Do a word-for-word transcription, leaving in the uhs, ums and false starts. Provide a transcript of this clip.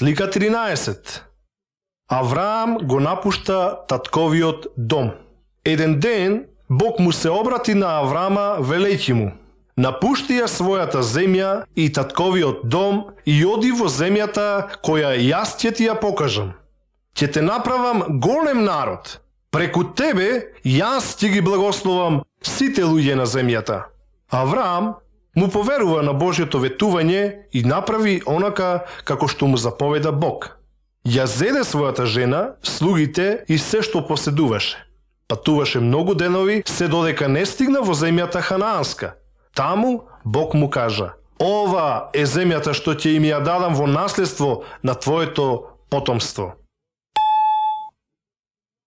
Слика тринаесет. Авраам го напушта татковиот дом. Еден ден Бог му се обрати на Авраама велејќи му: напушти ја својата земја и татковиот дом и оди во земјата која јас ќе ти ја покажам. Ќе те направам голем народ. Преку тебе јас ќе ги благословам сите луѓе на земјата. Авраам му поверува на Божјото ветување и направи онака како што му заповеда Бог. Ја зеде својата жена, слугите и се што поседуваше. Патуваше многу денови, се додека не стигна во земјата ханаанска. Таму Бог му кажа: ова е земјата што ќе им ја дадам во наследство на твоето потомство.